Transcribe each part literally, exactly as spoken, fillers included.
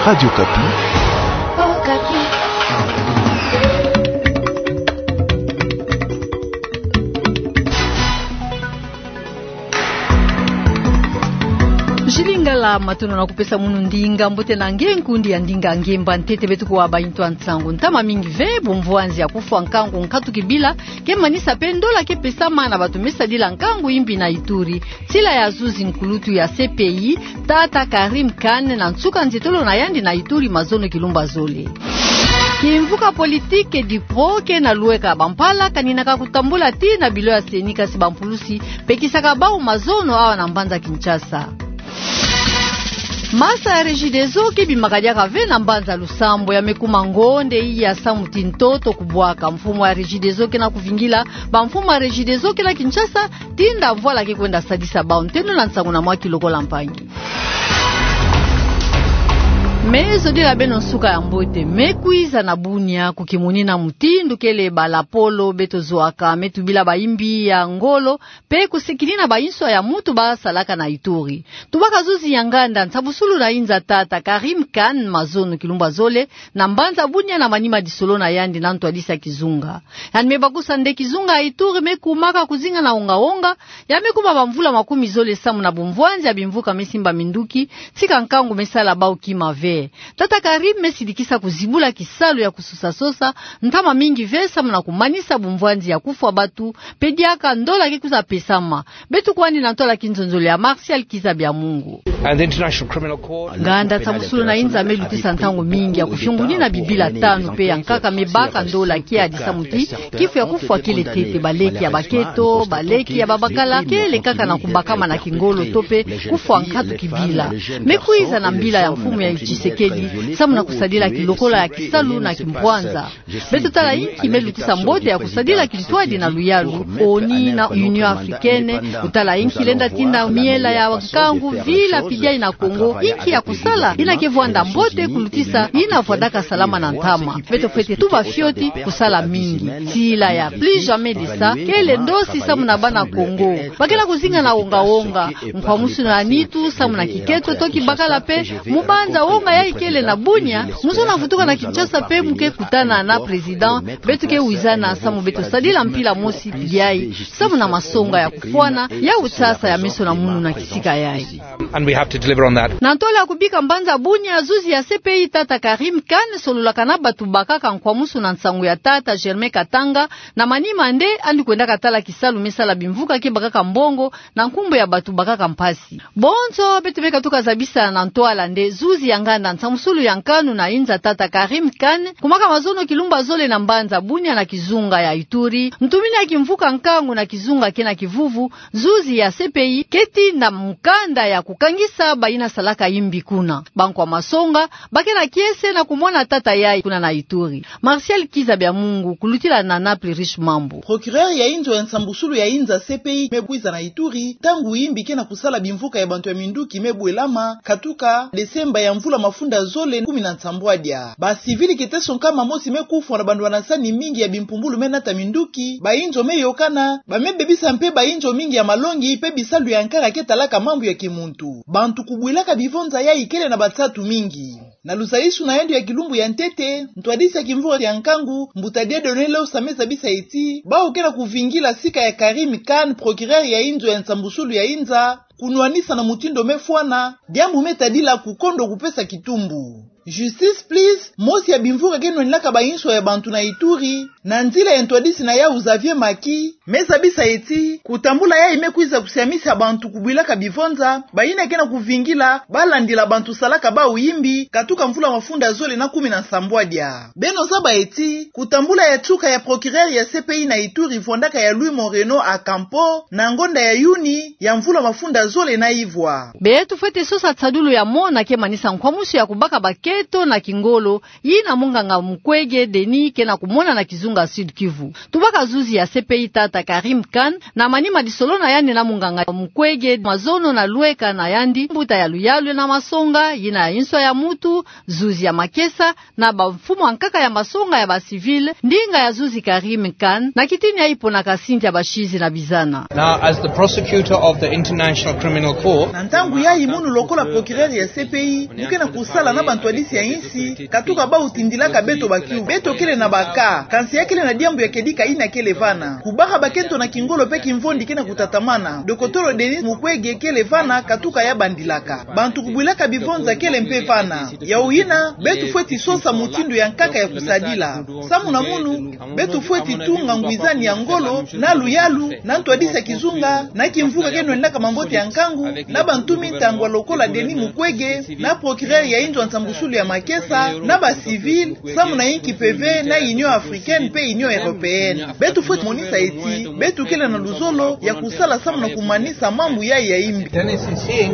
Radio Okapi. Jilingala, matondo na kupesa munu ndinga mbote na nge nkundi ya ndinga ngemba ntete beto kuwa ba intu a nsangu. Ntama mingi ve, bumvwanzi ya kufwa nkangu nkatu kibila ke manisa pe ndola ke pesama na bantu me sadila nkangu imbi na Ituri, nsila ya zuzi nkulutu ya C P I, tata Karim Khan, na nsuka nzietolo na yandi na Ituri mazono kilumbu zole. Kimvuka politique Udpro ke na lweka, bampala kaninaka kutambula tii na bilo ya CENI, kasi bampulusi pekisaka bau mazono awa na mbanza Kinshasa. Masa ya Regideso ke bimaka diaka ve na mbanza Lusambo, ya me kuma ngonde iya samu ti ntoto kubwaka. Mfumu ya Regideso ke na kuvingila bamfumu ya Regideso ke na Kinshasa, tinda mvwala ke kwenda sadisa bau. Nteno na nsangu na mwa kilokola mpangi. Me zodila beno nsuka ya mbote. Me kwiza na Bunia, kukimunina mutindu kele bala polo beto zwaka, me tubila baimbi ya ngolo, pe kusikinina bainswa ya mutu basalaka na Ituri. Tubaka zuzi ya nganda nsambusulu na inza, tata Karim Khan, mazono kilumbu zole na mbanza Bunia na manima disolo na yandi na ntwadisi ya kizunga. Yandi me bakusa nde kizunga ya Ituri me kumaka kuzinga na onga-onga, ya me kuma bamvula makumi zole samu na bumvwanzi ya bimvuka me simba minduki, tika nkangu me sala bau kima ve. Tata Karim me sidikisa kuzibula kisalu ya kusosa-sosa, ntama mingi ve samu na kumanisa bumvwanzi ya kufwa bantu, pe diaka ndola ke kwiza pesama. Beto kwandi na ntwala kinzonzolo ya Martial Kiza Bya Mungu. And the International Criminal Court. Nganda nsambusulu na inza me lutisa ntangu mingi ya kufiungunina bibila tanu pe ya nkaka me baka ndola kiadi samu ti kifu ya kufwa kele ntete, baleki ya baketo, baleki ya babakala, kele kaka na kubakama na kingolo to pe kufwa nkatu kibila. Me kwiza na mbila ya mfumu ya Tshisekedi samu na kusadila kilokola ya kisalu na kimpwanza. Beto tala inki me lutisa mbote ya kusadila kintwadi na luyalu, ONU na Union Africaine, kutala inki lenda tinda miela ya nkangu vila pidiai na Kongo, inki ya kusala, ina ke vwanda mbote kulutisa ina vwandaka salama na ntama. Beto fwete tuba fioti kusala mingi. Nsila ya plus jamais de ça, kele ndosi samu na bana Kongo. Ba ke na kuzinga na onga-onga, nkwamusu na nitu samu na kiketo to kibakala pe, mu banza onga yayi kele na Bunia, mu zona vutuka na Kinshasa pe mu ke kutana na président, beto ke wizana samu beto sadila mpila mosi yayi, samu na masonga ya kufwana, ya utsasa ya meso na munu na kisika yayi. And we have to deliver on that. Na ntwala ya kubika mbanza Bunia, zuzi ya C P I tata Karim Khan sololaka na bato bakaka nkwamusu na nsangu ya tata Germain Katanga, na manima nde yandi kwendaka tala kisalu me sala bimvuka ke bakaka mbongo, na nkumbu ya bato bakaka mpasi. Bonso beto me katuka zabisa na ntwala nde zuzi ya nganda nsambusulu ya nkanu na inza tata Karim Khan, kumaka mazono kilumbu zole na mbanza Bunia na kizunga ya Ituri, ntumini ya kimvuka nkangu na kizunga ke na kivuvu, zuzi ya C P I ke tinda mukanda ya kukangisa bayina salaka imbi kuna. Bankwa masonga ba ke na kiese na kumona tata yayi kuna na Ituri. Martial Kiza Bya Mungu, kulutila na Naples Riche Mambu. Procureur ya inzo ya nsambusulu ya inza C P I me kwiza na Ituri, ntangu imbi ke na kusala bimvuka ya bantu ya minduki me bwelama, katuka Desemba ya mvula mafunda zole kumi na nsambwadia. Ba civil kiteso nkama mosi me kufwa na banwanasani mingi ya bimpumbulu me nata minduki, ba inzo me yokana, ba me bebisa mpe ba inzo mingi ya malongi, mpe bisalu ya nkaka ke talaka mambu ya kimuntu. Bantu kubwilaka bivonza yayi kele na bansatu mingi. Na luzayisuna yandi ya kilumbu ya ntete, ntwadisi ya kimvuka kia nkangu, mbuta Dieudonné Losa me zabisa ti, bau ke na kuvingila sika ya Karim Khan, procureur ya inzo ya nsambusulu ya inza, kunwanisa na mutindu me fwana, diambu me tadila kukondo kupesa kitumbu. Justice Please, mosi ya bimvuka ke nwanilaka ba inswa ya bantu na Ituri, na nzila ya ntwadisi na yau Xavier Macky, me zabisa ti, kutambula yayi me kwiza kusiamisa bantu kubwilaka bivonza, bayina ke na kuvingila, ba landila bantu salaka bau imbi, katuka mvula mafunda zole na kumi na nsambwadia. Beno zaba ti, kutambula ya nsuka ya procureur ya C P I na Ituri vwandaka ya Louis Moreno a Campo, na ngonda ya Yuni, ya mvula mafunda zole na ivwa. Beto fwete sosa nsadulu ya mona ke manisa nkwamusu ya kubaka baketo na kingolo, yina munganga Mukwege Denis ke na kumona na kizunga Sud-Kivu. Tubaka zuzi ya C P I tata Karim Khan, na manima disolo na yandi na munganga Mukwege, mazono na lweka na yandi, mbuta ya luyalu na masonga, yina ya inswa ya mutu, zuzi ya makesa, na bamfumu ya nkaka ya masonga ya ba civil, ndinga ya zuzi Karim Khan, na kitini yayi ponaka sinti ya basizi na bizana. Now, as the prosecutor of the International Criminal Court, na ntangu yayi mono lokola procureur ya C P I, mu ke na kusala na bantwadi ya insi, katuka bau tindilaka beto bakiu. Beto kele na ba cas, kansi ya kele na diambu ya kedika yina kele vana. Kubaka bakento na kingolo mpe kimvondi ke na kutatamana. Dokotolo Denis Mukwege kele vana, katuka ya bandilaka. Bantu kubwilaka bivonza kele mpe vana. Yawu yina, beto fweti sosa mutindu ya nkaka ya kusadila. Samu na munu, beto fweti tunga ngwizani ya ngolo, na luyalu, na ntwadisi ya kizunga, na kimvuka ke nwendaka mambote ya nkangu, na bantu mintangwa lokola Denis Mukwege, na procureur ya inzo ya nsambusulu ya makesa, na ba civil, samu na inki mpeve, na Union Africaine mpe Union Européenne. Beto fweti monisa ti, beto kele na luzolo ya kusala samu na kumanisa mambu yayi ya imbi.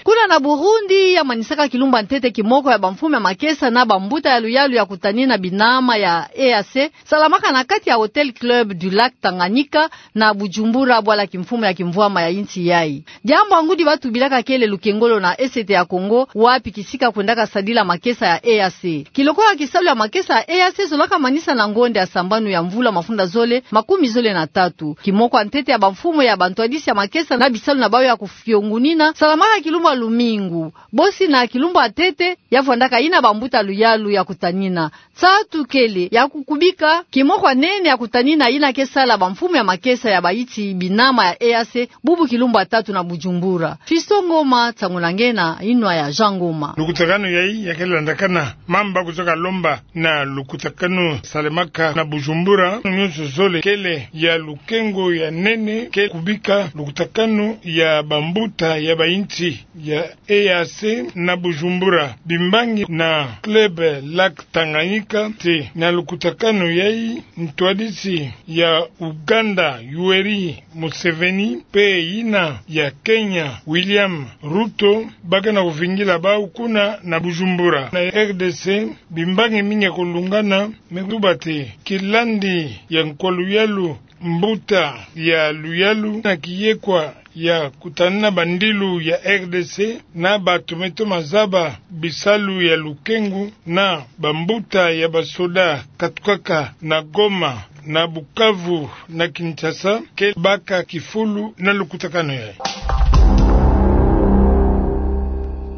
Kuna na Burundi, ya manisaka kilumbu ya ntete kimoko ya bamfumu ya makesa na bambuta ya luyalu ya kutanina binama ya E A C, salamaka na kati ya Hôtel Club du Lac Tanganyika na Bujumbura, bwala kimfumu ya kimvwama ya insi yayi. Diambu ya ngudi batubilaka kele lukengolo na Est ya Congo, wapi kisika kwendaka sadila makesa ya E A C. Kilokola kisalu ya makesa ya E A C zolaka manisa na ngonde ya sambanu ya mvula mafunda zole makumi zole na tatu. Kimoko ya ntete ya bamfumu ya bantwadisi ya makesa na bisalu na bawu ya kufiongunina salamaka kilumbu ya lumingu. Bosi na kilumbu ya ntete, ya vwandaka yina bambuta luyalu ya kutanina. Nsatu kele ya kukubika kimoko ya nene ya kutanina yina ke sala bamfumu ya makesa ya bayinsi binama ya E A C, bubu kilumbu ya tatu na Bujumbura. Fiston Ngoma, nsangu na nge na yinwa ya Jean Ngoma. Lukutakanu yayi ya kele landakana mamba kuzaka lomba na lukutakanu salemaka na Bujumbura. Nyonso zole kele ya lukengo ya nene ke kubika lukutakanu ya bambuta ya bayinsi ya E A C na Bujumbura, bimbangi na Club Lac Tanganyika. Ti na lukutakanu yayi, ntwadisi ya Uganda, Yoweri Museveni, mpe yina ya Kenya, William Ruto, ba ke na kuvingila bau kuna na Bujumbura. Na R D C, bimbangi mingi ya kulungana, me kutuba ti kilandi ya nkwa luyalu, mbuta ya luyalu na kiyekwa ya kutanina bandilu ya R D C na bato me toma zaba bisalu ya lukengo na bambuta ya basoda katukaka na Goma, na Bukavu, na Kinshasa, ke baka kifulu na lukutakanu yayi.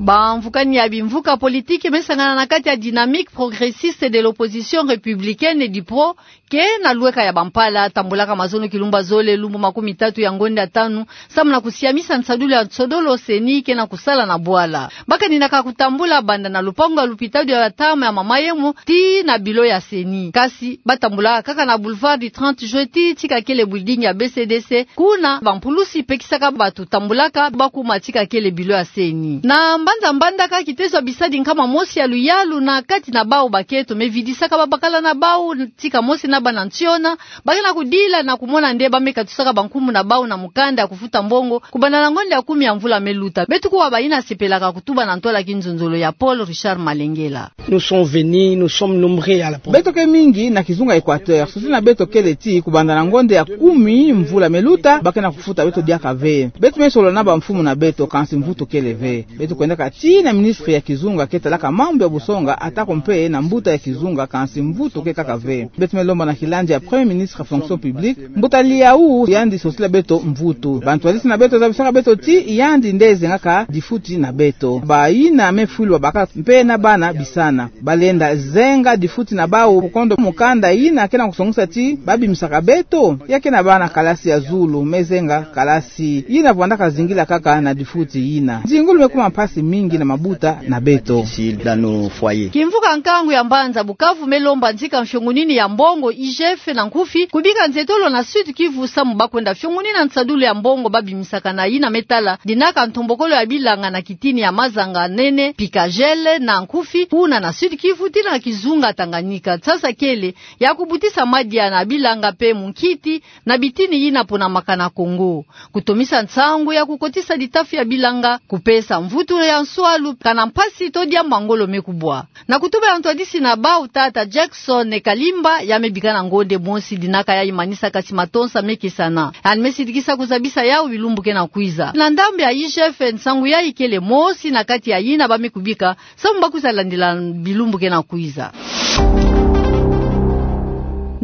Bamvukani ya bimvuka politiki me sangana na kati ya Dynamique Progressiste de l'Opposition Républicaine, DIPRO, ke na lweka ya Bampala, tambolaka mazono kilumbu ya zole lumbu makumi tatu ya ngonde ya tanu, samu na kusiamisa nsadulu ya nsodolo CENI ke na kusala na bwala. Ba kaninaka kutambula banda na lupangu ya lupitalu ya ntama ya Mama Yemo tii na bilo ya CENI. Kasi ba tambula kaka na Boulevard du trente Juillet tii tika kele building ya B C D C, kuna bampulusi pekisaka bato tambulaka ba kuma tika kele bilo ya CENI. Na mbanza-mbanza ka kitezo ya bisadi nkama mosi ya luyalu na kati na bau bakento me vidisaka babakala na bau tika mosi na bana nsiona, ba ke na kudila na kumona nde ba me katusaka bankumbu na bau na mukanda ya kufuta mbongo, kubanda na ngonde ya kumi ya mvula me luta. Beto kuwa bayina sepelaka kutuba na ntwala kinzonzolo ya Paul Richard Malengela. Nous sommes venus, nous sommes nombreux à la... Beto ke mingi na kizunga Équateur, sosila na beto kele ti kubanda na ngonde ya kumi mvula me luta, ba ke na kufuta beto diaka ve. Beto me solola na bamfumu na beto, kansi mvutu kele ve. Beto kwendaka tii na ministre ya kizunga ke talaka mambu ya busonga, atako mpe na mbuta ya kizunga, kansi mvutu ke kaka ve. Beto me lomba na kilandi ya Premier ministre ya fonction publique, mbuta Liau, yandi sosila beto mvutu. Bantwadisi na beto zabisaka beto ti yandi nde zengaka difuti na beto. Bayina me fwilu babaka mpe na bana bisana, ba lenda zenga difuti na bau, kondo mukanda yina ke na kusongisa ti ba bimisaka beto. Ya ke na bana kalasi ya zulu me zenga kalasi yina vwandaka zingila kaka na difuti yina. Nzingulu me kuma mpasi mingi na mabuta na beto. Difficile dans nos foyers. Kimvuka nkangu ya mbanza Bukavu me lomba nzika mfiongunini ya mbongo, I G F na nkufi, kubika nzetolo na Sud-Kivu samu ba kwenda fiongunina nsadulu ya mbongo ba bimisaka na yina me tala dinaka ntombokolo ya bilanga na kitini ya mazanga nene, Picagel na nkufi, kuna na Sud-Kivu tii na kizunga Tanganyika. Nsasa kele ya kubutisa madia na bilanga mpe munkiti na bitini yina pona makana Kongo. Kutomisa nsangu ya kukotisa ditafi ya bilanga, kupesa mvutu ya nswalu, kana mpasi to diambu ya ngolo me kubwa. Na kutuba ya ntwadisi na bau, tata Jackson Kalimba, ya me bika na ngonde mosi dinaka yayi manisa, kasi matonsa me kesana. Yandi me sidikisa kuzabisa yau bilumbu ke na kwiza. Na ndambu ya I G F, nsangu yayi kele mosi na kati ya yina ba me kubika, samu ba kwiza landila bilumbu ke na kwiza.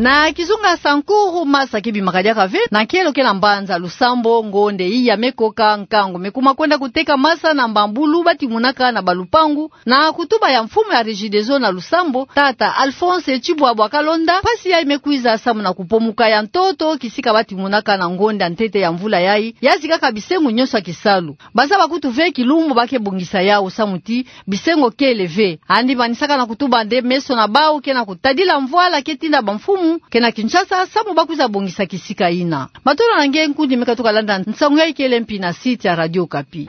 Na kizunga Sankuru, masa kebimaka diaka ve na nkelo ke na mbanza Lusambo. Ngonde iya mekoka, nkangu mekuma kwenda kuteka masa na mbambulu batimunaka na balupangu. Na kutuba ya mfumu ya Regideso na Lusambo, tata Alphonse Tshibwabwa Kalonda, mpasi yayi mekwiza samu na kupomuka ya ntoto kisika batimunaka na ngonde ya ntete ya mvula yayi, ya zikaka bisengo nyonso ya kisalu. Bazaba kutu ve kilumbu ba ke bongisa yawu samu ti bisengo kele ve. Yandi manisaka na kutuba nde meso na bawu ke na kutadila mvwala ke tinda bamfumu ke na Kinshasa samu ba kwiza bongisa kisika yina. Matondo na nge nkundi me katuka landa nsangu yayi kele mpi na site ya Radio Okapi.